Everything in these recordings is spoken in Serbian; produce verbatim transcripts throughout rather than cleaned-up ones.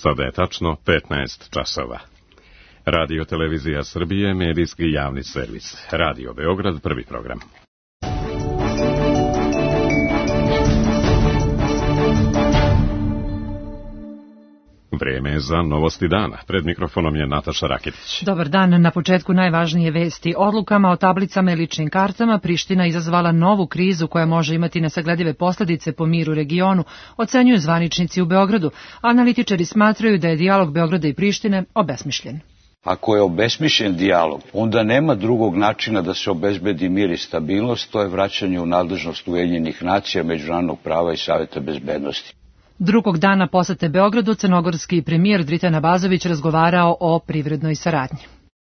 Sada je tačno petnaest časova. Radio Televizija Srbije, medijski javni servis. Radio Beograd, prvi program. Vreme je za novosti dana. Pred mikrofonom je Nataša Raketić. Dobar dan. Na početku najvažnije vesti. Odlukama o tablicama i ličnim kartama Priština izazvala novu krizu koja može imati nesagledive posledice po mir u regionu, ocenjuju zvaničnici u Beogradu. Analitičari smatraju da je dijalog Beograda i Prištine obesmišljen. Ako je obesmišljen dijalog, onda nema drugog načina da se obezbedi mir i stabilnost, to je vraćanje u nadležnost Ujedinjenih nacija, međunarodnog prava i Saveta bezbednosti. Drugog dana posete Beogradu crnogorski premijer Dritan Abazović razgovarao o privrednoj saradnji.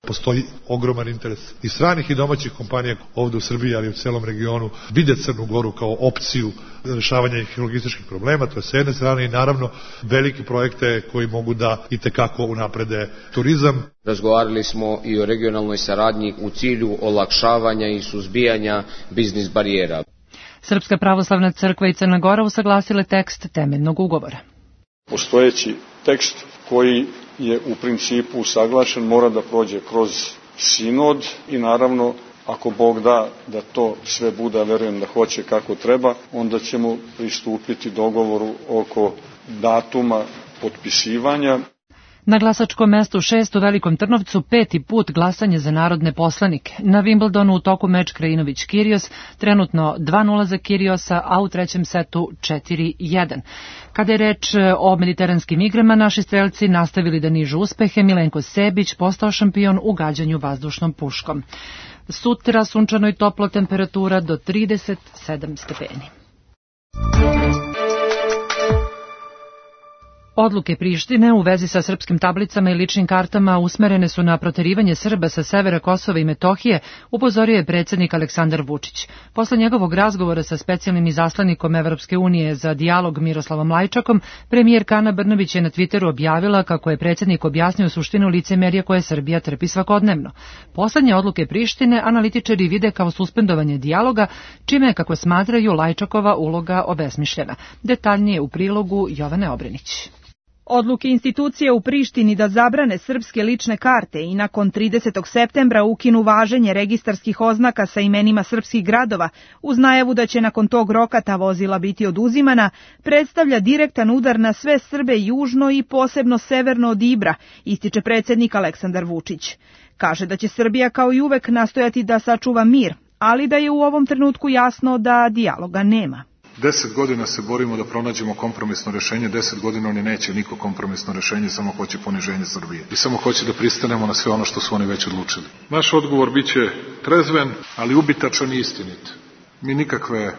Postoji ogroman interes i stranih i domaćih kompanija ovde u Srbiji, ali i u celom regionu, vide Crnu Goru kao opciju rešavanja logističkih problema, to je s jedne strane, i naravno velike projekte koji mogu da itekako unaprede turizam. Razgovarali smo i o regionalnoj saradnji u cilju olakšavanja i suzbijanja biznis barijera. Srpska pravoslavna crkva i Crna Gora usaglasile tekst temeljnog ugovora. Postojeći tekst koji je u principu usaglašen mora da prođe kroz sinod i naravno ako Bog da da to sve bude, verujem da hoće kako treba, onda ćemo pristupiti dogovoru oko datuma potpisivanja. Na glasačkom mestu šest u Velikom Trnovcu peti put glasanje za narodne poslanike. Na Wimbledonu u toku meč Krajinović-Kirios, trenutno dva nula za Kiriosa, a u trećem setu četiri jedan. Kada je reč o mediteranskim igrama, naši strelci nastavili da nižu uspehe. Milenko Sebić postao šampion u gađanju vazdušnom puškom. Sutra sunčano i toplo, temperatura do trideset sedam stepeni. Odluke Prištine u vezi sa srpskim tablicama i ličnim kartama usmerene su na proterivanje Srba sa severa Kosova i Metohije, upozorio je predsjednik Aleksandar Vučić. Posle njegovog razgovora sa specijalnim izaslanikom Evropske unije za dijalog Miroslavom Lajčakom, premijerka Ana Brnabić je na Twitteru objavila kako je predsjednik objasnio suštinu licemerja koje Srbija trpi svakodnevno. Poslednje odluke Prištine analitičari vide kao suspendovanje dijaloga, čime je, kako smatraju, Lajčakova uloga obesmišljena. Detaljnije u prilogu Jovane Obrenić. Odluke institucije u Prištini da zabrane srpske lične karte i nakon tridesetog septembra ukinu važenje registarskih oznaka sa imenima srpskih gradova, uz najavu da će nakon tog roka ta vozila biti oduzimana, predstavlja direktan udar na sve Srbe južno i posebno severno od Ibra, ističe predsjednik Aleksandar Vučić. Kaže da će Srbija kao i uvek nastojati da sačuva mir, ali da je u ovom trenutku jasno da dijaloga nema. Deset godina se borimo da pronađemo kompromisno rešenje, deset godina oni neće niko kompromisno rešenje, samo hoće poniženje Srbije. I samo hoće da pristanemo na sve ono što su oni već odlučili. Naš odgovor biće trezven, ali ubitačan i istinit. Mi nikakve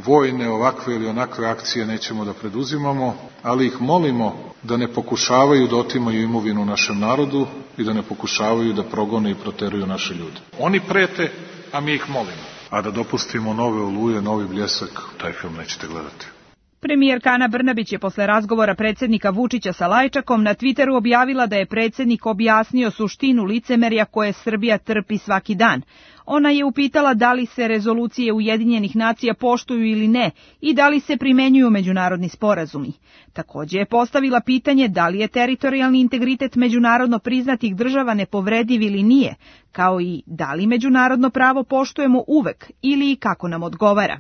vojne, ovakve ili onakve akcije nećemo da preduzimamo, ali ih molimo da ne pokušavaju da otimaju imovinu našem narodu i da ne pokušavaju da progone i proteruju naše ljude. Oni prete, a mi ih molimo. A da dopustimo nove oluje, novi bljesak, taj film nećete gledati. Premijerka Ana Brnabić je posle razgovora predsjednika Vučića sa Lajčakom na Twitteru objavila da je predsjednik objasnio suštinu licemerja koje Srbija trpi svaki dan. Ona je upitala da li se rezolucije Ujedinjenih nacija poštuju ili ne i da li se primenjuju međunarodni sporazumi. Također je postavila pitanje da li je teritorijalni integritet međunarodno priznatih država nepovrediv ili nije, kao i da li međunarodno pravo poštujemo uvek ili i kako nam odgovara.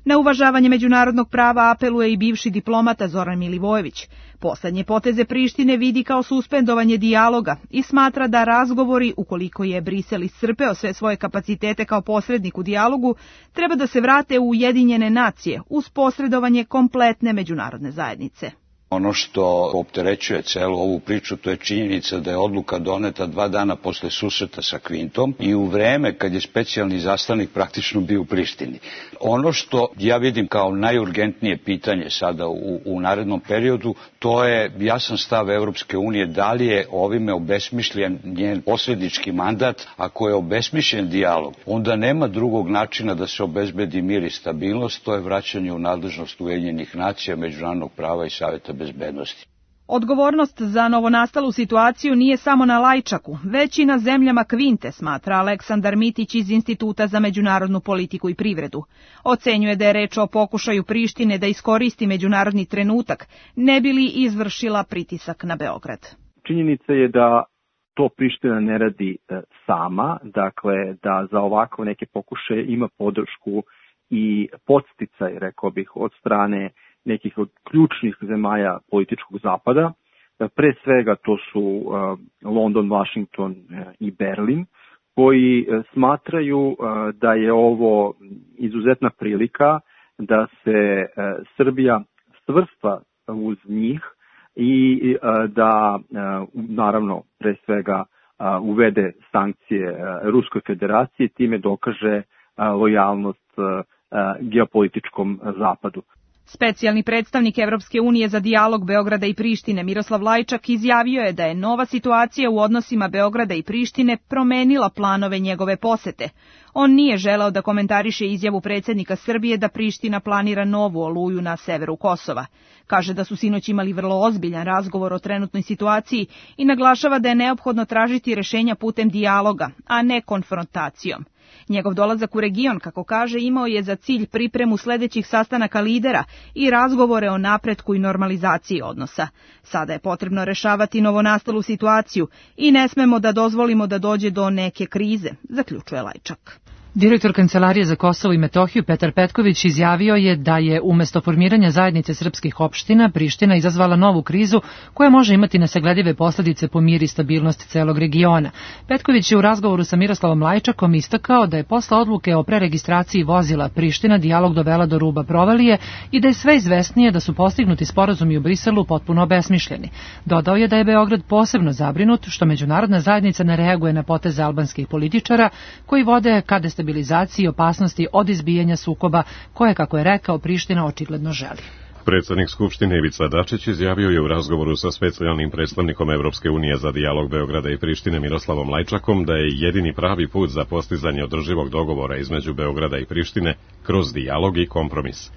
Na uvažavanje međunarodnog prava apeluje i bivši diplomata Zoran Milivojević. Poslednje poteze Prištine vidi kao suspendovanje dijaloga i smatra da razgovori, ukoliko je Brisel iscrpeo sve svoje kapacitete kao posrednik u dijalogu, treba da se vrate u Ujedinjene nacije uz posredovanje kompletne međunarodne zajednice. Ono što opterećuje celu ovu priču, to je činjenica da je odluka doneta dva dana posle susreta sa Kvintom i u vreme kad je specijalni izaslanik praktično bio u Prištini. Ono što ja vidim kao najurgentnije pitanje sada u, u narednom periodu, to je jasan stav Evropske unije da li je ovime obesmišljen njen posrednički mandat. Ako je obesmišljen dijalog, onda nema drugog načina da se obezbedi mir i stabilnost, to je vraćanje u nadležnost Ujedinjenih nacija, međunarodnog prava i Saveta bezbednosti. Odgovornost za novonastalu situaciju nije samo na Lajčaku, već i na zemljama Kvinte, smatra Aleksandar Mitić iz Instituta za međunarodnu politiku i privredu. Ocenjuje da je reč o pokušaju Prištine da iskoristi međunarodni trenutak, ne bi li izvršila pritisak na Beograd. Činjenica je da to Priština ne radi sama, dakle da za ovako neke pokušaje ima podršku i podsticaj, rekao bih, od strane nekih od ključnih zemalja političkog zapada. Pre svega to su London, Washington i Berlin, koji smatraju da je ovo izuzetna prilika da se Srbija svrsta uz njih i da, naravno, pre svega uvede sankcije Ruskoj federaciji, time dokaže lojalnost geopolitičkom zapadu. Specijalni predstavnik Evropske unije za dijalog Beograda i Prištine Miroslav Lajčak izjavio je da je nova situacija u odnosima Beograda i Prištine promenila planove njegove posete. On nije želeo da komentariše izjavu predsjednika Srbije da Priština planira novu oluju na severu Kosova. Kaže da su sinoć imali vrlo ozbiljan razgovor o trenutnoj situaciji i naglašava da je neophodno tražiti rešenja putem dijaloga, a ne konfrontacijom. Njegov dolazak u region, kako kaže, imao je za cilj pripremu sledećih sastanaka lidera i razgovore o napretku i normalizaciji odnosa. Sada je potrebno rešavati novonastalu situaciju i ne smemo da dozvolimo da dođe do neke krize, zaključuje Lajčak. Direktor Kancelarije za Kosovo i Metohiju Petar Petković izjavio je da je umesto formiranja zajednice srpskih opština Priština izazvala novu krizu koja može imati nesagledive posledice po mir i stabilnost celog regiona. Petković je u razgovoru sa Miroslavom Lajčakom istakao da je posle odluke o preregistraciji vozila Priština dijalog dovela do ruba provalije i da je sve izvesnije da su postignuti sporazumi u Briselu potpuno obesmišljeni. Dodao je da je Beograd posebno zabrinut što međunarodna zajednica ne reaguje na poteze albanskih političara koji vode ka destabilizaciji i opasnosti od izbijanja sukoba koje, kako je rekao, Priština očigledno želi. Predsjednik Skupštine Ivica Dačić izjavio je u razgovoru sa specijalnim predstavnikom Evropske unije za dijalog Beograda i Prištine Miroslavom Lajčakom da je jedini pravi put za postizanje održivog dogovora između Beograda i Prištine kroz dijalog i kompromis.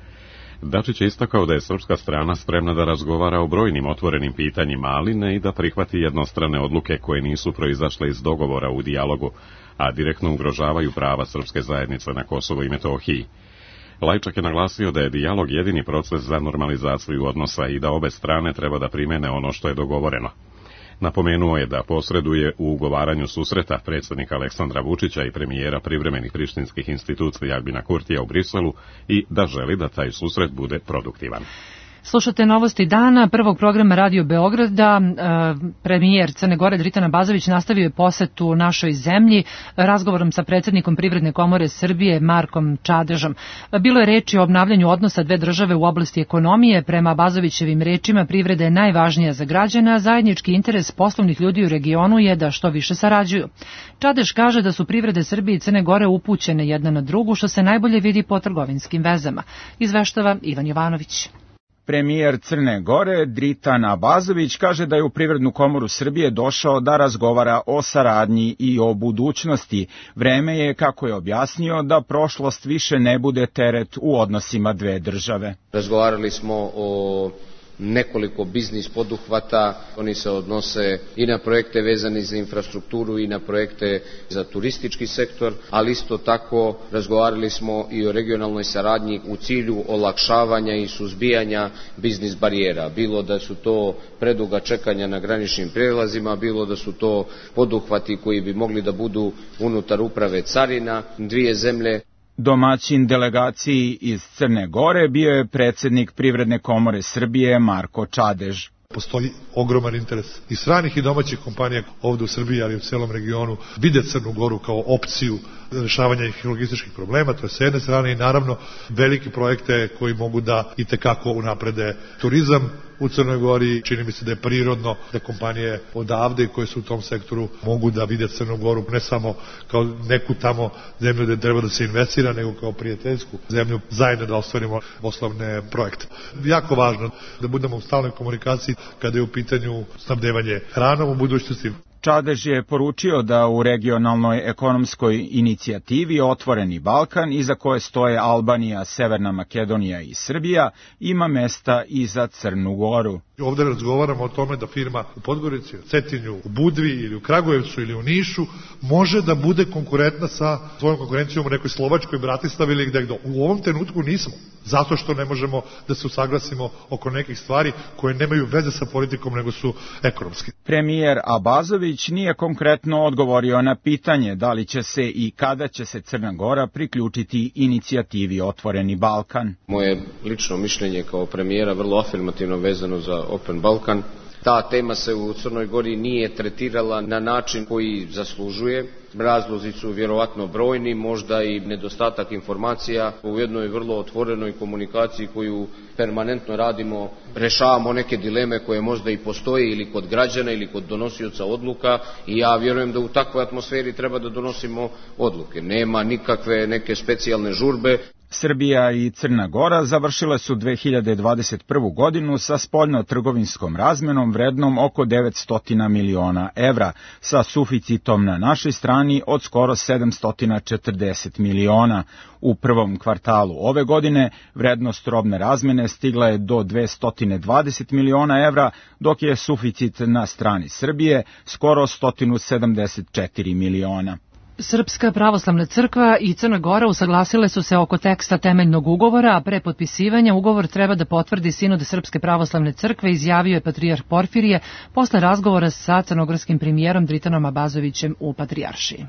Dačić je istakao da je srpska strana spremna da razgovara o brojnim otvorenim pitanjima, ali ne i da prihvati jednostrane odluke koje nisu proizašle iz dogovora u dijalogu, a direktno ugrožavaju prava srpske zajednice na Kosovu i Metohiji. Lajčak je naglasio da je dijalog jedini proces za normalizaciju odnosa i da obe strane treba da primene ono što je dogovoreno. Napomenuo je da posreduje u ugovaranju susreta predsjednika Aleksandra Vučića i premijera privremenih prištinskih institucija Albina Kurtija u Briselu i da želi da taj susret bude produktivan. Slušate novosti dana prvog programa Radio Beograda. Premijer Crne Gore Dritan Abazović nastavio je posetu našoj zemlji razgovorom sa predsjednikom Privredne komore Srbije Markom Čadežom. Bilo je reči o obnavljanju odnosa dve države u oblasti ekonomije. Prema Abazovićevim rečima privreda je najvažnija za građana, a zajednički interes poslovnih ljudi u regionu je da što više sarađuju. Čadež kaže da su privrede Srbije i Crne Gore upućene jedna na drugu, što se najbolje vidi po trgovinskim vezama. Izveštava Ivan Jovanović. Premijer Crne Gore Dritan Abazović kaže da je u Privrednu komoru Srbije došao da razgovara o saradnji i o budućnosti. Vreme je, kako je objasnio, da prošlost više ne bude teret u odnosima dve države. Razgovarali smo o nekoliko biznis poduhvata, oni se odnose i na projekte vezane za infrastrukturu i na projekte za turistički sektor, ali isto tako razgovarali smo i o regionalnoj saradnji u cilju olakšavanja i suzbijanja biznis barijera, bilo da su to preduga čekanja na graničnim prijelazima, bilo da su to poduhvati koji bi mogli da budu unutar uprave carina dvije zemlje. Domaćin delegaciji iz Crne Gore bio je predsjednik Privredne komore Srbije Marko Čadež. Postoji ogroman interes i stranih i domaćih kompanija ovde u Srbiji, ali i u celom regionu, vide Crnu Goru kao opciju rešavanja ih logističkih problema, to je s jedne strane, i naravno velike projekte koji mogu da i tekako unaprede turizam u Crnoj Gori. Čini mi se da je prirodno da kompanije odavde koje su u tom sektoru mogu da vide Crnu Goru ne samo kao neku tamo zemlju gde treba da se investira, nego kao prijateljsku zemlju, zajedno da ostvarimo poslovne projekte. Jako važno da budemo u stalnoj komunikaciji kada je u pitanju snabdevanje hranom u budućnosti. Čadež je poručio da u regionalnoj ekonomskoj inicijativi Otvoreni Balkan, iza koje stoje Albanija, Severna Makedonija i Srbija, ima mesta i za Crnu Goru. Ovde razgovaramo o tome da firma u Podgorici, u Cetinju, u Budvi ili u Kragujevcu ili u Nišu može da bude konkurentna sa svojom konkurencijom u nekoj Slovačkoj, Bratislavi ili gde gde. U ovom trenutku nismo, zato što ne možemo da se usaglasimo oko nekih stvari koje nemaju veze sa politikom nego su ekonomski. Premijer Abazović nije konkretno odgovorio na pitanje da li će se i kada će se Crna Gora priključiti inicijativi Otvoreni Balkan. Moje lično mišljenje kao premijera vrlo afirmativno vezano za Open Balkan. Ta tema se u Crnoj Gori nije tretirala na način koji zaslužuje. Razlozi su vjerovatno brojni, možda i nedostatak informacija. U jednoj vrlo otvorenoj komunikaciji koju permanentno radimo, rešavamo neke dileme koje možda i postoje ili kod građana ili kod donosioca odluka i ja vjerujem da u takvoj atmosferi treba da donosimo odluke. Nema nikakve neke specijalne žurbe. Srbija i Crna Gora završile su dve hiljade dvadeset prvu godinu sa spoljno-trgovinskom razmenom vrednom oko devetsto miliona evra, sa suficitom na našoj strani od skoro sedamsto četrdeset miliona. U prvom kvartalu ove godine vrednost robne razmene stigla je do dvesta dvadeset miliona evra, dok je suficit na strani Srbije skoro sto sedamdeset četiri miliona. Srpska pravoslavna crkva i Crna Gora usaglasile su se oko teksta temeljnog ugovora, a pre potpisivanja ugovor treba da potvrdi Sinod Srpske pravoslavne crkve, izjavio je patrijarh Porfirije posle razgovora sa crnogorskim premijerom Dritanom Abazovićem u Patrijaršiji.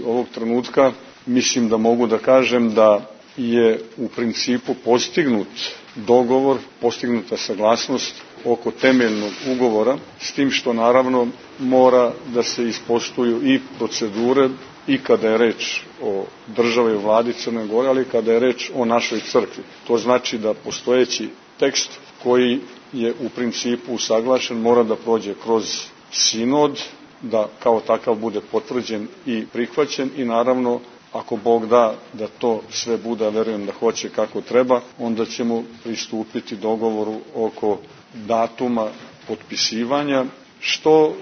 Ovog trenutka mislim da mogu da kažem da je u principu postignut dogovor, postignuta saglasnost oko temeljnog ugovora, s tim što naravno mora da se ispoštuju i procedure i kada je reč o državi i vladi Crne Gore, ali kada je reč o našoj crkvi. To znači da postojeći tekst koji je u principu usaglašen mora da prođe kroz sinod, da kao takav bude potvrđen i prihvaćen i naravno ako Bog da da to sve bude, verujem da hoće kako treba, onda ćemo pristupiti dogovoru oko datuma potpisivanja, što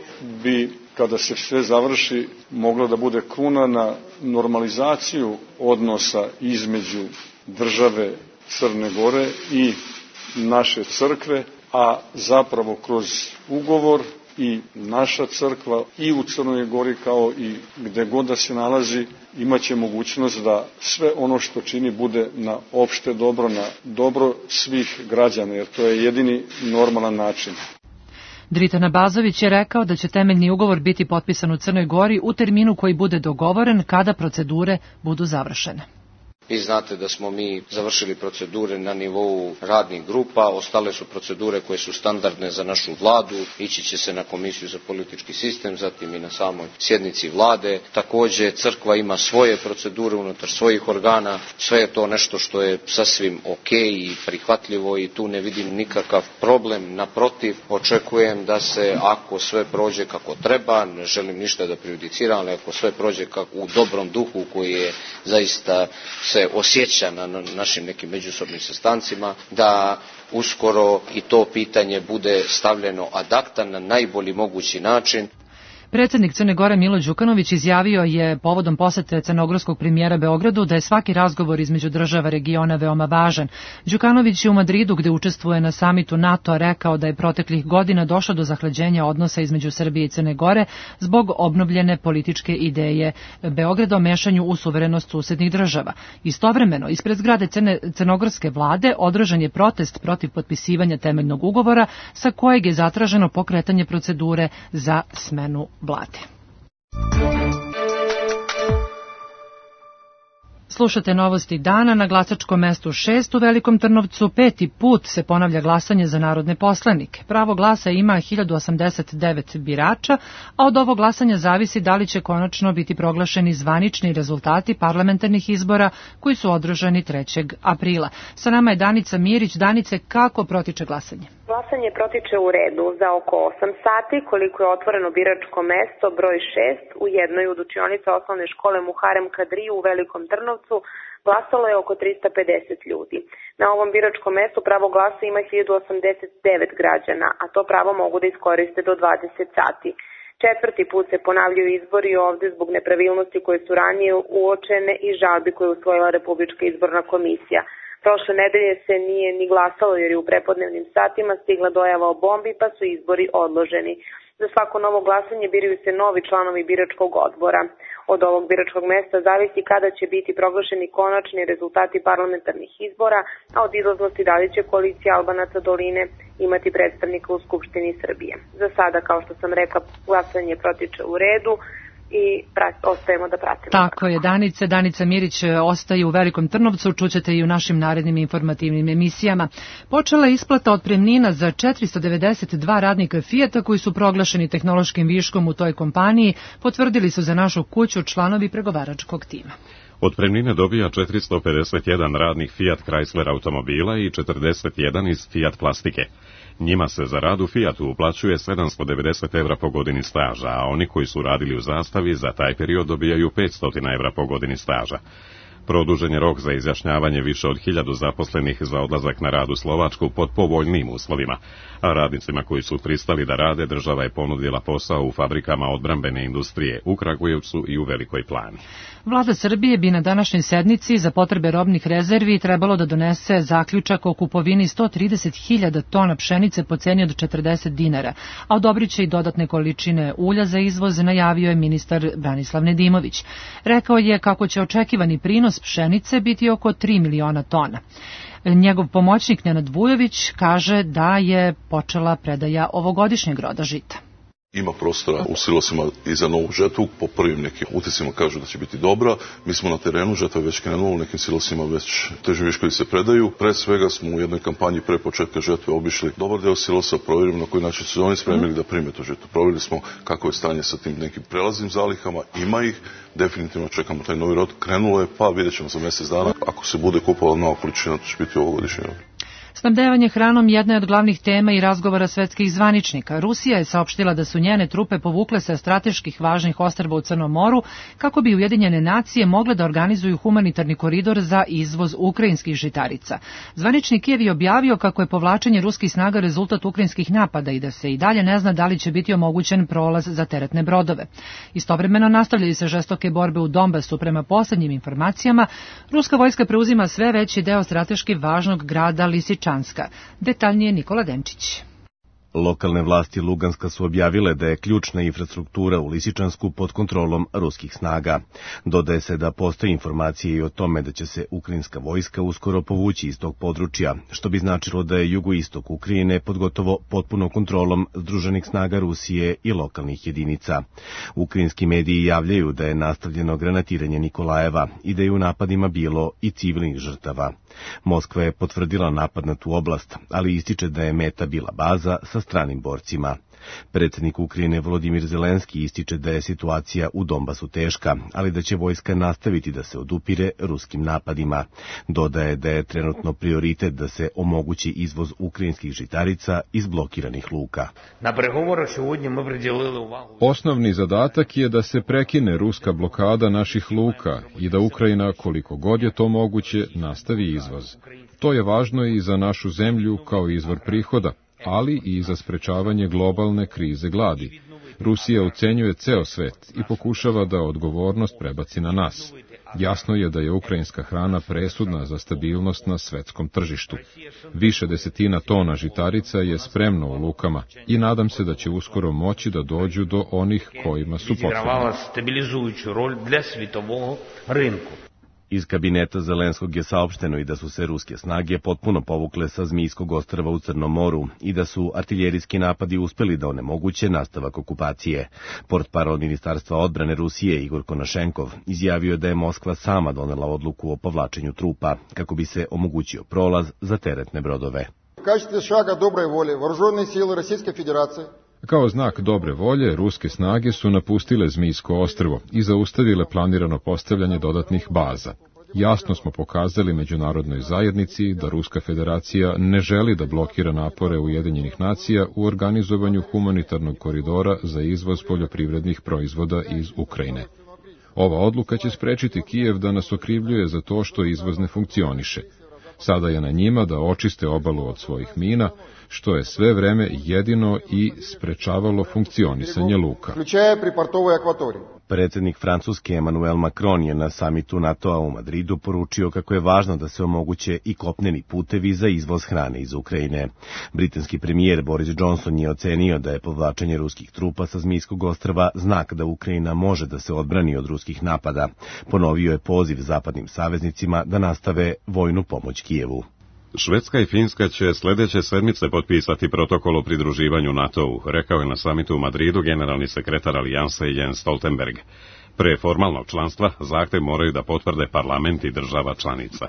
bi, kada se sve završi, moglo da bude kruna na normalizaciju odnosa između države Crne Gore i naše crkve, a zapravo kroz ugovor i naša crkva i u Crnoj Gori kao i gde god da se nalazi imaće mogućnost da sve ono što čini bude na opšte dobro, na dobro svih građana, jer to je jedini normalan način. Dritan Abazović je rekao da će temeljni ugovor biti potpisan u Crnoj Gori u terminu koji bude dogovoren kada procedure budu završene. Vi znate da smo mi završili procedure na nivou radnih grupa, ostale su procedure koje su standardne za našu vladu, ići će se na Komisiju za politički sistem, zatim i na samoj sjednici vlade. Takođe, crkva ima svoje procedure unutar svojih organa, sve je to nešto što je sasvim ok i prihvatljivo i tu ne vidim nikakav problem. Naprotiv, očekujem da se, ako sve prođe kako treba, ne želim ništa da prejudiciram, ali ako sve prođe kako u dobrom duhu koji je zaista se osjeća na našim nekim međusobnim sastancima, da uskoro i to pitanje bude stavljeno ad acta na najbolji mogući način. Predsednik Crne Gore Milo Đukanović izjavio je povodom posete crnogorskog premijera Beogradu da je svaki razgovor između država regiona veoma važan. Đukanović je u Madridu, gde učestvuje na samitu NATO, rekao da je proteklih godina došlo do zahlađenja odnosa između Srbije i Crne Gore zbog obnovljene političke ideje Beograda o mešanju u suverenost susednih država. Istovremeno, ispred zgrade Crne, crnogorske vlade održan je protest protiv potpisivanja temeljnog ugovora sa kojeg je zatraženo pokretanje procedure za smenu vlade. Slušate novosti dana. Na glasačkom mestu šest u Velikom Trnovcu peti put se ponavlja glasanje za narodne poslanike. Pravo glasa ima hiljadu osamdeset devet birača, a od ovog glasanja zavisi da li će konačno biti proglašeni zvanični rezultati parlamentarnih izbora koji su održani trećeg aprila. Sa nama je Danica Mirić. Danice, kako protiče glasanje? Glasanje protiče u redu za oko osam sati, koliko je otvoreno biračko mesto broj šest u jednoj od učionica osnovne škole Muharem Kadriju u Velikom Trnovcu. Glasalo je oko trista pedeset ljudi. Na ovom biračkom mestu pravo glasa ima hiljadu osamdeset devet građana, a to pravo mogu da iskoriste do dvadeset sati. Četvrti put se ponavljaju izbori ovde zbog nepravilnosti koje su ranije uočene i žalbi koje je usvojila Republička izborna komisija. Prošle nedelje se nije ni glasalo jer je u prepodnevnim satima stigla dojava o bombi pa su izbori odloženi. Za svako novo glasanje biraju se novi članovi biračkog odbora. Od ovog biračkog mesta zavisi kada će biti proglašeni konačni rezultati parlamentarnih izbora, a od izlaznosti da li će koalicija Albanaca doline imati predstavnika u Skupštini Srbije. Za sada, kao što sam rekla, glasanje protiče u redu i ostajemo da pratimo. Tako je, Danice. Danica Mirić ostaje u Velikom Trnovcu, čućete i u našim narednim informativnim emisijama. Počela je isplata otpremnina za četiristo devedeset dva radnika Fijata koji su proglašeni tehnološkim viškom u toj kompaniji, potvrdili su za našu kuću članovi pregovaračkog tima. Otpremnine dobija četiristo pedeset jedan radnik Fiat Chrysler automobila i četrdeset jedan iz Fiat plastike. Njima se za rad u Fijatu uplaćuje sedamsto devedeset evra po godini staža, a oni koji su radili u Zastavi za taj period dobijaju petsto evra po godini staža. Produžen je rok za izjašnjavanje više od hiljadu zaposlenih za odlazak na rad u Slovačku pod povoljnim uslovima, a radnicima koji su pristali da rade država je ponudila posao u fabrikama odbrambene industrije u Kragujevcu i u Velikoj Plani. Vlada Srbije bi na današnjoj sednici za potrebe robnih rezervi trebalo da donese zaključak o kupovini sto trideset hiljada tona pšenice po ceni od četrdeset dinara, a odobrit će i dodatne količine ulja za izvoz, najavio je ministar Branislav Nedimović. Rekao je kako će očekivani prinos pšenice biti oko tri miliona tona. Njegov pomoćnik Nenad Vujović kaže da je počela predaja ovogodišnjeg roda žita. Ima prostora u silosima i za novu žetvu, po prvim nekim utiscima kažu da će biti dobra. Mi smo na terenu, žetva je već krenula, u nekim silosima već teži viškovi se predaju. Pre svega smo u jednoj kampanji pre početka žetve obišli dobar deo silosa, provjerili na koji način su oni spremili da prime tu žetvu. Provjerili smo kako je stanje sa tim nekim prelaznim zalihama, ima ih, definitivno čekamo taj novi rod, krenulo je, pa vidjet ćemo za mjesec dana. Ako se bude kupovala nova količina, to će biti ovogodišnji rod. Snabdevanje hranom jedna je od glavnih tema i razgovora svetskih zvaničnika. Rusija je saopštila da su njene trupe povukle sa strateških važnih ostrva u Crnom moru kako bi Ujedinjene nacije mogle da organizuju humanitarni koridor za izvoz ukrajinskih žitarica. Zvanični Kijev je objavio kako je povlačenje ruskih snaga rezultat ukrajinskih napada i da se i dalje ne zna da li će biti omogućen prolaz za teretne brodove. Istovremeno nastavljaju se žestoke borbe u Donbasu. Prema poslednjim informacijama, ruska vojska preuzima sve veći deo strateški važnog grada Lisičanska. Detaljnije Nikola Denčić. Lokalne vlasti Luganska su objavile da je ključna infrastruktura u Lisičansku pod kontrolom ruskih snaga. Dodaje se da postoji informacije i o tome da će se ukrajinska vojska uskoro povući iz tog područja, što bi značilo da je jugoistok Ukrajine pod gotovo potpunom kontrolom združenih snaga Rusije i lokalnih jedinica. Ukrajinski mediji javljaju da je nastavljeno granatiranje Nikolajeva i da je u napadima bilo i civilnih žrtava. Moskva je potvrdila napad na tu oblast, ali ističe da je meta bila baza sa stranim borcima. Predsjednik Ukrajine Volodimir Zelenski ističe da je situacija u Donbasu teška, ali da će vojska nastaviti da se odupire ruskim napadima. Dodaje da je trenutno prioritet da se omogući izvoz ukrajinskih žitarica iz blokiranih luka. Osnovni zadatak je da se prekine ruska blokada naših luka i da Ukrajina, koliko god je to moguće, nastavi izvoz. To je važno i za našu zemlju kao izvor prihoda, ali i za sprečavanje globalne krize gladi. Rusija ucenjuje ceo svet i pokušava da odgovornost prebaci na nas. Jasno je da je ukrajinska hrana presudna za stabilnost na svetskom tržištu. Više desetina tona žitarica je spremno u lukama i nadam se da će uskoro moći da dođu do onih kojima su potrebni. Iz kabineta Zelenskog je saopšteno i da su se ruske snage potpuno povukle sa Zmijskog ostrva u Crnom moru i da su artiljerijski napadi uspeli da onemoguće nastavak okupacije. Portparol Ministarstva odbrane Rusije Igor Konašenkov izjavio da je Moskva sama donela odluku o povlačenju trupa kako bi se omogućio prolaz za teretne brodove. U kачестве šaga dobre volje, вооруженные силы Российской Федерации Kao znak dobre volje, ruske snage su napustile Zmijsko ostrvo i zaustavile planirano postavljanje dodatnih baza. Jasno smo pokazali međunarodnoj zajednici da Ruska federacija ne želi da blokira napore Ujedinjenih nacija u organizovanju humanitarnog koridora za izvoz poljoprivrednih proizvoda iz Ukrajine. Ova odluka će sprečiti Kijev da nas okrivljuje za to što izvoz ne funkcioniše. Sada je na njima da očiste obalu od svojih mina, što je sve vreme jedino i sprečavalo funkcionisanje luka. Predsednik Francuske Emmanuel Macron je na samitu NATO-a u Madridu poručio kako je važno da se omoguće i kopneni putevi za izvoz hrane iz Ukrajine. Britanski premijer Boris Johnson je ocenio da je povlačenje ruskih trupa sa Zmijskog ostrva znak da Ukrajina može da se odbrani od ruskih napada. Ponovio je poziv zapadnim saveznicima da nastave vojnu pomoć Kijevu. Švedska i Finska će sljedeće sedmice potpisati protokol o pridruživanju NATO-u, rekao je na samitu u Madridu generalni sekretar alijanse Jens Stoltenberg. Pre formalnog članstva zahtev moraju da potvrde parlamenti država članica.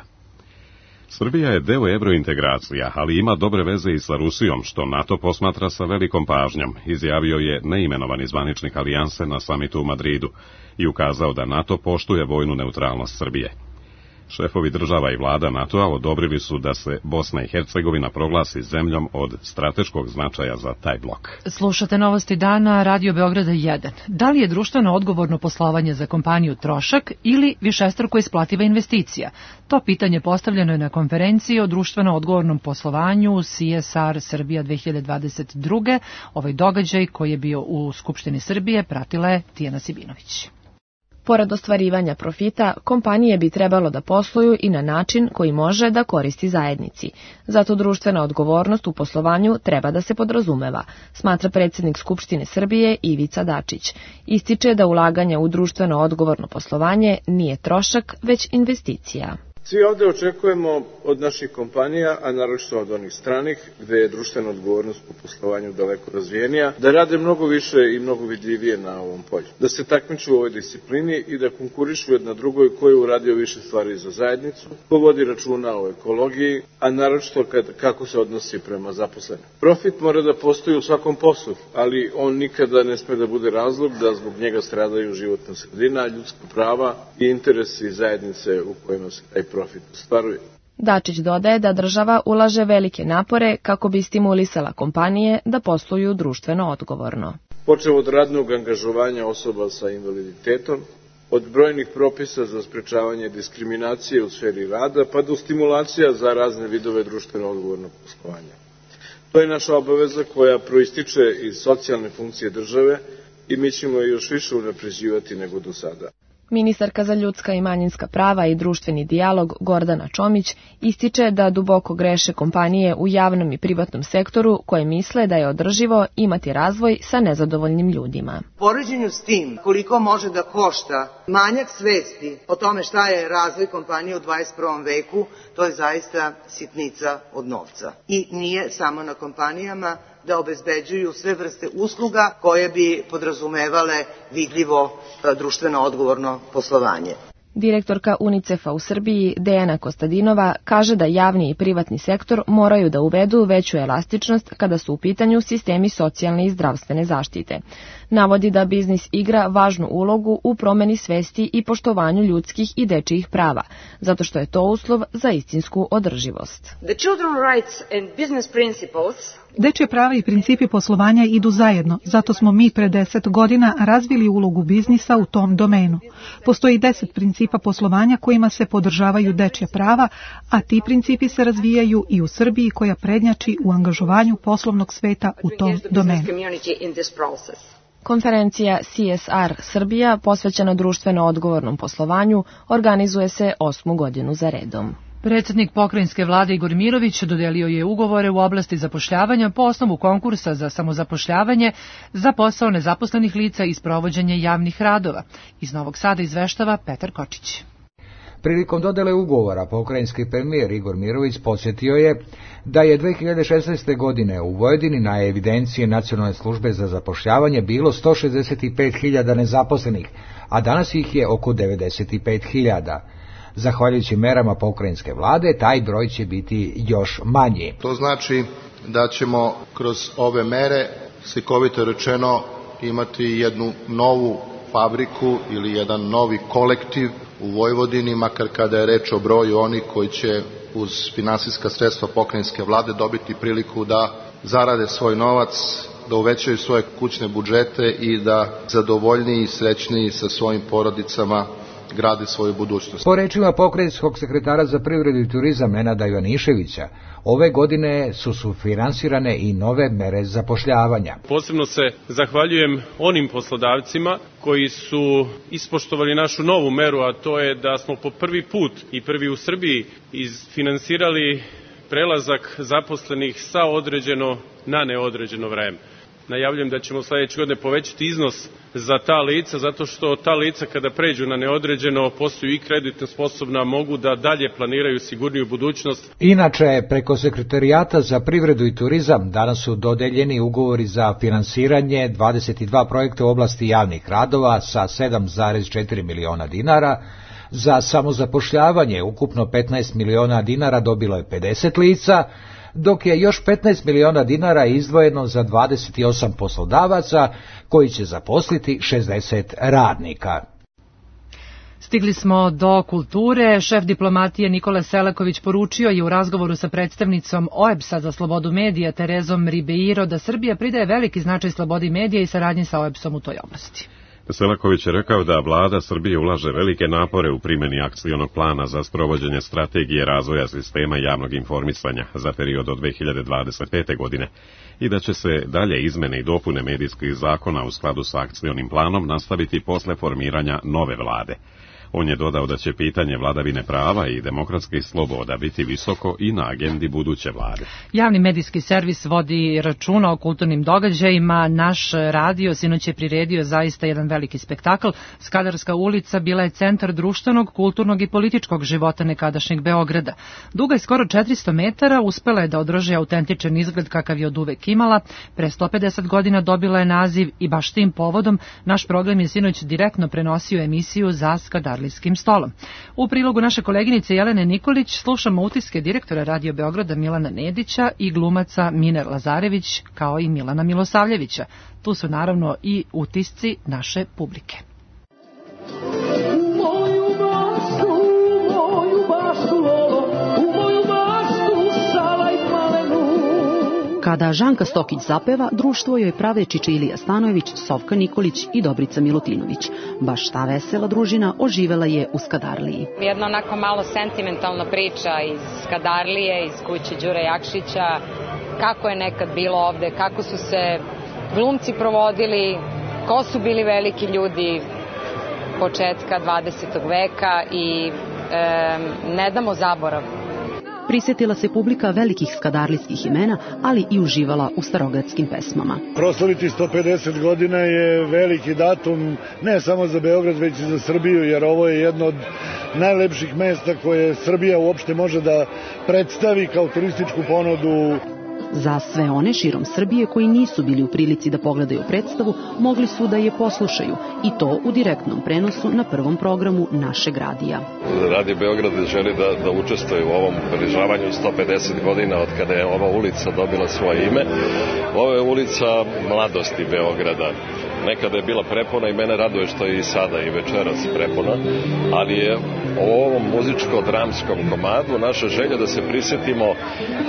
Srbija je deo evrointegracija, ali ima dobre veze i sa Rusijom, što NATO posmatra sa velikom pažnjom, izjavio je neimenovani zvaničnik alijanse na samitu u Madridu i ukazao da NATO poštuje vojnu neutralnost Srbije. Šefovi država i vlada NATO-a odobrili su da se Bosna i Hercegovina proglasi zemljom od strateškog značaja za taj blok. Slušate novosti dana Radio Beograda jedan. Da li je društveno odgovorno poslovanje za kompaniju trošak ili višestruko isplativa investicija? To pitanje postavljeno je na konferenciji o društveno odgovornom poslovanju C S R Srbija dve hiljade dvadeset druge. Ovaj događaj koji je bio u Skupštini Srbije pratila je Tijana Sibinović. Pored ostvarivanja profita, kompanije bi trebalo da posluju i na način koji može da koristi zajednici. Zato društvena odgovornost u poslovanju treba da se podrazumeva, smatra predsjednik Skupštine Srbije Ivica Dačić. Ističe da ulaganje u društveno odgovorno poslovanje nije trošak, već investicija. Svi ovde očekujemo od naših kompanija, a naročito od onih stranih, gde je društvena odgovornost u poslovanju daleko razvijenija, da rade mnogo više i mnogo vidljivije na ovom polju. Da se takmiču u ovoj disciplini i da konkurišu jedna drugoj ko je uradio više stvari za zajednicu, ko vodi računa o ekologiji, a naročito kad, kako se odnosi prema zaposlenim. Profit mora da postoji u svakom poslu, ali on nikada ne sme da bude razlog da zbog njega stradaju životna sredina, ljudska prava i interesi zajednice u kojima se taj profit ostvaruje. Dačić dodaje da država ulaže velike napore kako bi stimulisala kompanije da posluju društveno odgovorno. Počev od radnog angažovanja osoba sa invaliditetom, od brojnih propisa za sprečavanje diskriminacije u sferi rada, pa do stimulacija za razne vidove društveno odgovornog poslovanja. To je naša obaveza koja proističe iz socijalne funkcije države i mi ćemo je još više unapređivati nego do sada. Ministarka za ljudska i manjinska prava i društveni dijalog Gordana Čomić ističe da duboko greše kompanije u javnom i privatnom sektoru koje misle da je održivo imati razvoj sa nezadovoljnim ljudima. U poređenju s tim koliko može da košta manjak svesti o tome šta je razvoj kompanije u dvadeset prvom veku, to je zaista sitnica od novca. I nije samo na kompanijama da obezbeđuju sve vrste usluga koje bi podrazumevale vidljivo društveno odgovorno poslovanje. Direktorka UNICEF-a u Srbiji Dejana Kostadinova kaže da javni i privatni sektor moraju da uvedu veću elastičnost kada su u pitanju sistemi socijalne i zdravstvene zaštite. Navodi da biznis igra važnu ulogu u promeni svesti i poštovanju ljudskih i dečijih prava, zato što je to uslov za istinsku održivost. The children's rights and business principles Dečje prava i principi poslovanja idu zajedno, zato smo mi pre deset godina razvili ulogu biznisa u tom domenu. Postoji deset principa poslovanja kojima se podržavaju dečja prava, a ti principi se razvijaju i u Srbiji koja prednjači u angažovanju poslovnog sveta u tom domenu. Konferencija C S R Srbija posvećena društveno odgovornom poslovanju organizuje se osmu godinu za redom. Predsjednik pokrajinske vlade Igor Mirović dodelio je ugovore u oblasti zapošljavanja po osnovu konkursa za samozapošljavanje za posao nezaposlenih lica i sprovođenje javnih radova. Iz Novog Sada izveštava Petar Kočić. Prilikom dodele ugovora pokrajinski premijer Igor Mirović podsjetio je da je dve hiljade šesnaeste. godine u Vojvodini na evidenciji Nacionalne službe za zapošljavanje bilo sto šezdeset pet hiljada nezaposlenih, a danas ih je oko devedeset pet hiljada. Zahvaljujući merama pokrajinske vlade, taj broj će biti još manji. To znači da ćemo kroz ove mere, slikovito rečeno, imati jednu novu fabriku ili jedan novi kolektiv u Vojvodini, makar kada je reč o broju onih koji će uz finansijska sredstva pokrajinske vlade dobiti priliku da zarade svoj novac, da uvećaju svoje kućne budžete i da zadovoljniji i srećniji sa svojim porodicama gradi svoju budućnost. Po rečima pokrajinskog sekretara za privredu i turizam Nenada Ivaniševića, ove godine su sufinansirane i nove mere zapošljavanja. Posebno se zahvaljujem onim poslodavcima koji su ispoštovali našu novu meru, a to je da smo po prvi put i prvi u Srbiji isfinansirali prelazak zaposlenih sa određeno na neodređeno vreme. Najavljujem da ćemo sledeće godine povećati iznos za ta lica, zato što ta lica kada pređu na neodređeno postaju i kreditno sposobna, mogu da dalje planiraju sigurniju budućnost. Inače, preko Sekretarijata za privredu i turizam danas su dodeljeni ugovori za finansiranje dvadeset dva projekta u oblasti javnih radova sa sedam zarez četiri miliona dinara. Za samozapošljavanje ukupno petnaest miliona dinara dobilo je pedeset lica, dok je još petnaest miliona dinara izdvojeno za dvadeset osam poslodavaca koji će zaposliti šezdeset radnika. Stigli smo do kulture. Šef diplomatije Nikola Selaković poručio je u razgovoru sa predstavnicom O E B S-a za slobodu medija Terezom Ribeiro da Srbija pridaje veliki značaj slobodi medija i saradnji sa O E B S-om u toj oblasti. Selaković je rekao da vlada Srbije ulaže velike napore u primjeni akcionog plana za sprovođenje strategije razvoja sistema javnog informisanja za period od dve hiljade dvadeset pete. godine i da će se dalje izmene i dopune medijskih zakona u skladu sa akcionim planom nastaviti posle formiranja nove vlade. On je dodao da će pitanje vladavine prava i demokratskih sloboda biti visoko i na agendi buduće vlade. Javni medijski servis vodi računa o kulturnim događajima. Naš radio sinoć je priredio zaista jedan veliki spektakl. Skadarska ulica bila je centar društvenog, kulturnog i političkog života nekadašnjeg Beograda. Duga je skoro četiristo metara, uspela je da održi autentičan izgled kakav je od uvek imala. Pre sto pedeset godina dobila je naziv i baš tim povodom naš program je sinoć direktno prenosio emisiju za Skadar stolom. U prilogu naše koleginice Jelene Nikolić slušamo utiske direktora Radio Beograda Milana Nedića i glumaca Mine Lazarević kao i Milana Milosavljevića. Tu su naravno i utisci naše publike. Kada Žanka Stokić zapeva, društvo joj prave Čiče Ilija Stanojević, Sofka Nikolić i Dobrica Milutinović. Baš ta vesela družina oživela je u Skadarliji. Jedna onako malo sentimentalna priča iz Skadarlije, iz kuće Đure Jakšića, kako je nekad bilo ovde, kako su se glumci provodili, ko su bili veliki ljudi početka dvadesetog veka i e, ne damo zaborav. Prisjetila se publika velikih skadarlijskih imena, ali i uživala u starogradskim pesmama. Proslaviti sto pedeset godina je veliki datum, ne samo za Beograd, već i za Srbiju, jer ovo je jedno od najlepših mesta koje Srbija uopšte može da predstavi kao turističku ponudu. Za sve one širom Srbije koji nisu bili u prilici da pogledaju predstavu, mogli su da je poslušaju i to u direktnom prenosu na prvom programu našeg radija. Radio Beograd želi da, da učestvuje u ovom obeležavanju sto pedeset godina od kada je ova ulica dobila svoje ime. Ovo je ulica mladosti Beograda. Nekada je bila prepuna i mene raduje što je i sada i večeras prepuna, ali je o ovom muzičko-dramskom komadu naša želja da se prisjetimo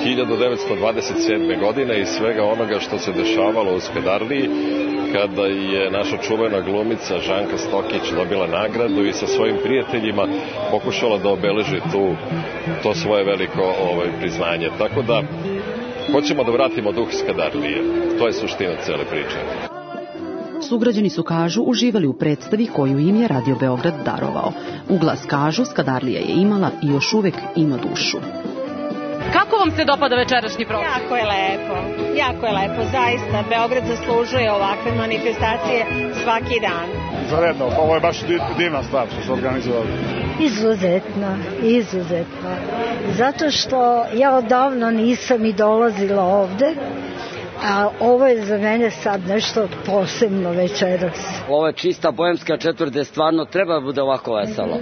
hiljadu devetsto dvadeset sedme. godine i svega onoga što se dešavalo u Skadarliji kada je naša čuvena glumica Žanka Stokić dobila nagradu i sa svojim prijateljima pokušala da obeleži tu, to svoje veliko ovaj, priznanje. Tako da hoćemo da vratimo duh Skadarlije. To je suština cele priče. Sugrađani su, kažu, uživali u predstavi koju im je Radio Beograd darovao. U glas kažu, Skadarlija je imala i još uvek ima dušu. Kako vam se dopada večerašnji program? Jako je lepo, jako je lepo, zaista. Beograd zaslužuje ovakve manifestacije svaki dan. Zaredno, ovo je baš divna stvar što se organizovali. Izuzetno, izuzetno. Zato što ja odavno nisam i dolazila ovde, a ovo je za mene sad nešto posebno večeras. Ovo je čista bohemska četvrt gde stvarno treba da bude ovako veselo.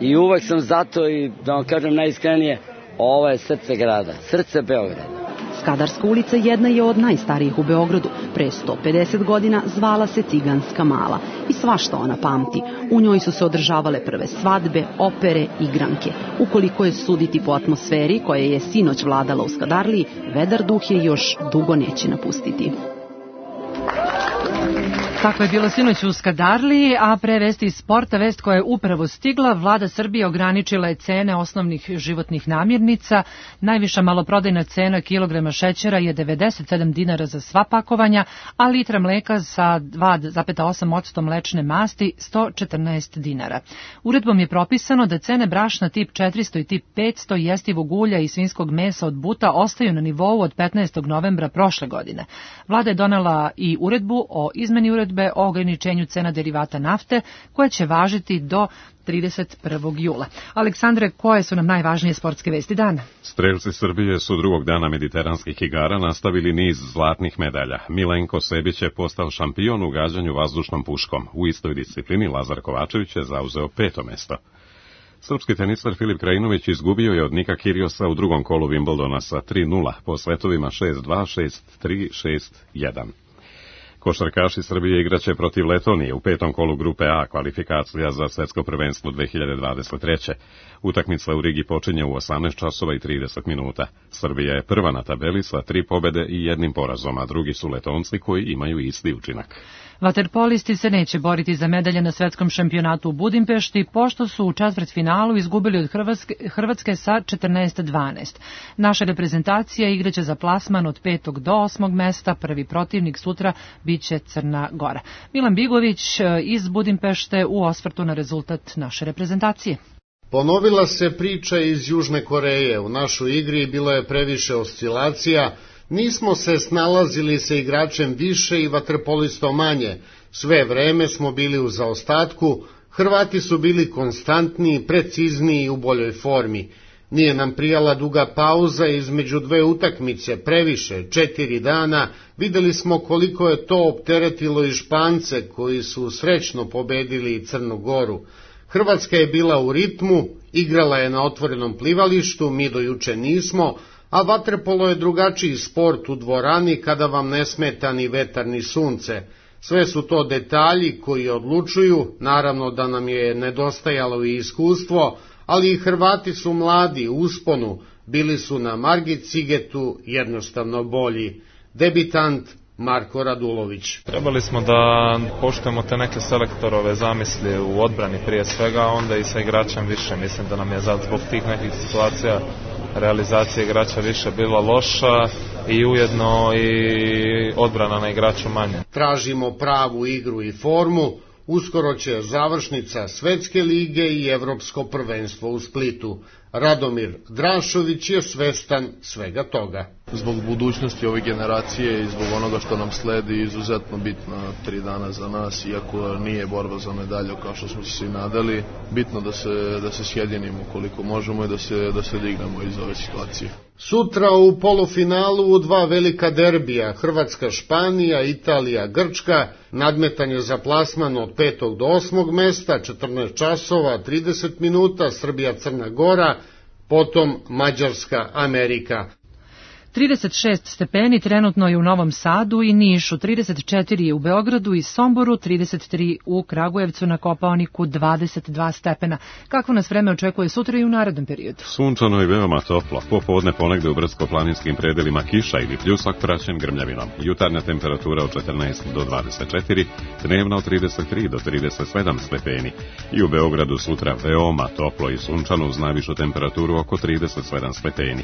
I uvek sam zato i da vam kažem najiskrenije, ovo je srce grada, srce Beograda. Skadarska ulica jedna je od najstarijih u Beogradu. Pre sto pedeset godina zvala se Ciganska mala i svašta ona pamti. U njoj su se održavale prve svadbe, opere, igranke. Ukoliko je suditi po atmosferi koja je sinoć vladala u Skadarliji, vedar duh je još dugo neće napustiti. Tako je bilo sinoć u Skadarliji, a pre vesti iz sporta, vest koja je upravo stigla, vlada Srbije ograničila je cene osnovnih životnih namirnica. Najviša maloprodajna cena kilograma šećera je devedeset sedam dinara za sva pakovanja, a litra mleka sa dva zarez osam posto mlečne masti sto četrnaest dinara. Uredbom je propisano da cene brašna tip četiristo i tip petsto, jestivog ulja i svinjskog mesa od buta ostaju na nivou od petnaestog novembra prošle godine. Vlada je donela i uredbu o izmeni uredbe o ograničenju cena derivata nafte, koja će važiti do trideset prvog jula. Aleksandre, koje su nam najvažnije sportske vesti dana? Strelci Srbije su drugog dana mediteranskih igara nastavili niz zlatnih medalja. Milenko Sebić je postao šampion u gađanju vazdušnom puškom. U istoj disciplini Lazar Kovačević je zauzeo peto mesto. Srpski tenisar Filip Krajinović izgubio je od Nika Kiriosa u drugom kolu Wimbledona sa tri nula po svetovima šest dva, šest tri, šest jedan. Košarkaši Srbije igraće protiv Letonije u petom kolu grupe A, kvalifikacija za svetsko prvenstvo dve hiljade dvadeset treće. Utakmica u Rigi počinje u osamnaest časova i trideset minuta. Srbija je prva na tabeli sa tri pobede i jednim porazom, a drugi su Letonci koji imaju isti učinak. Vaterpolisti se neće boriti za medalje na svetskom šampionatu u Budimpešti, pošto su u četvrtfinalu izgubili od Hrvatske, Hrvatske sa četrnaest dvanaest. Naša reprezentacija igraće za plasman od petog do osmog mesta, prvi protivnik sutra biće Crna Gora. Milan Bigović iz Budimpešte u osvrtu na rezultat naše reprezentacije. Ponovila se priča iz Južne Koreje. U našoj igri bilo je previše oscilacija. Nismo se snalazili sa igračem više i vaterpolistom manje. Sve vreme smo bili u zaostatku. Hrvati su bili konstantniji, precizniji i u boljoj formi. Nije nam prijala duga pauza između dve utakmice, previše, četiri dana. Videli smo koliko je to opteretilo i Špance, koji su srećno pobedili Crnu Goru. Hrvatska je bila u ritmu, igrala je na otvorenom plivalištu, mi do juče nismo, a vaterpolo je drugačiji sport u dvorani kada vam ne smeta ni vetar ni sunce. Sve su to detalji koji odlučuju, naravno da nam je nedostajalo i iskustvo, ali i Hrvati su mladi, u usponu, bili su na margi cigetu jednostavno bolji. Debitant Marko Radulović. Trebali smo da poštujemo te neke selektorove zamisli u odbrani prije svega, onda i sa igračem više. Mislim da nam je zbog tih nekih situacija realizacija igrača više bila loša i ujedno i odbrana na igraču manje. Tražimo pravu igru i formu. Uskoro će završnica Svetske lige i Evropsko prvenstvo u Splitu. Radomir Drašović je svestan svega toga. Zbog budućnosti ove generacije i zbog onoga što nam sledi, izuzetno bitna tri dana za nas, iako nije borba za medalju kao što smo se svi nadali, bitno da se, da se sjedinimo koliko možemo i da se, da se dignemo iz ove situacije. Sutra u polufinalu u dva velika derbija, Hrvatska-Španija, Italija-Grčka, nadmetanje za plasman od petog do osmog mesta, četrnaest časova, trideset minuta, Srbija-Crna Gora, potom Mađarska-Amerika. trideset šest stepeni trenutno je u Novom Sadu i Nišu, trideset četiri je u Beogradu i Somboru, trideset tri u Kragujevcu, na Kopaoniku dvadeset dva stepena. Kako nas vreme očekuje sutra i u narednom periodu? Sunčano i veoma toplo, popodne ponegde u brdsko-planinskim predelima kiša ili pljusak praćen grmljavinom. Jutarnja temperatura od četrnaest do dvadeset četiri, dnevna od trideset tri do trideset sedam stepeni. I u Beogradu sutra veoma toplo i sunčano uz najvišu temperaturu oko trideset sedam stepeni.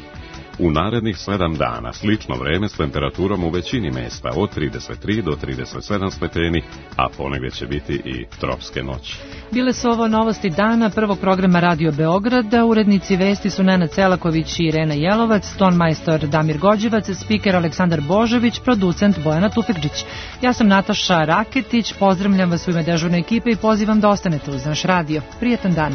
U narednih sedam dana slično vreme s temperaturom u većini mesta od trideset tri do trideset sedam stepeni, a ponegde će biti i tropske noći. Bile su ovo novosti dana prvog programa Radio Beograda. Urednici vesti su Nenad Celaković i Irena Jelovac, tonmajstor Damir Gođevac, spiker Aleksandar Božović, producent Bojana Tufekđić. Ja sam Nataša Raketić, pozdravljam vas u ime dežurne ekipe i pozivam da ostanete uz naš radio. Prijetan dan.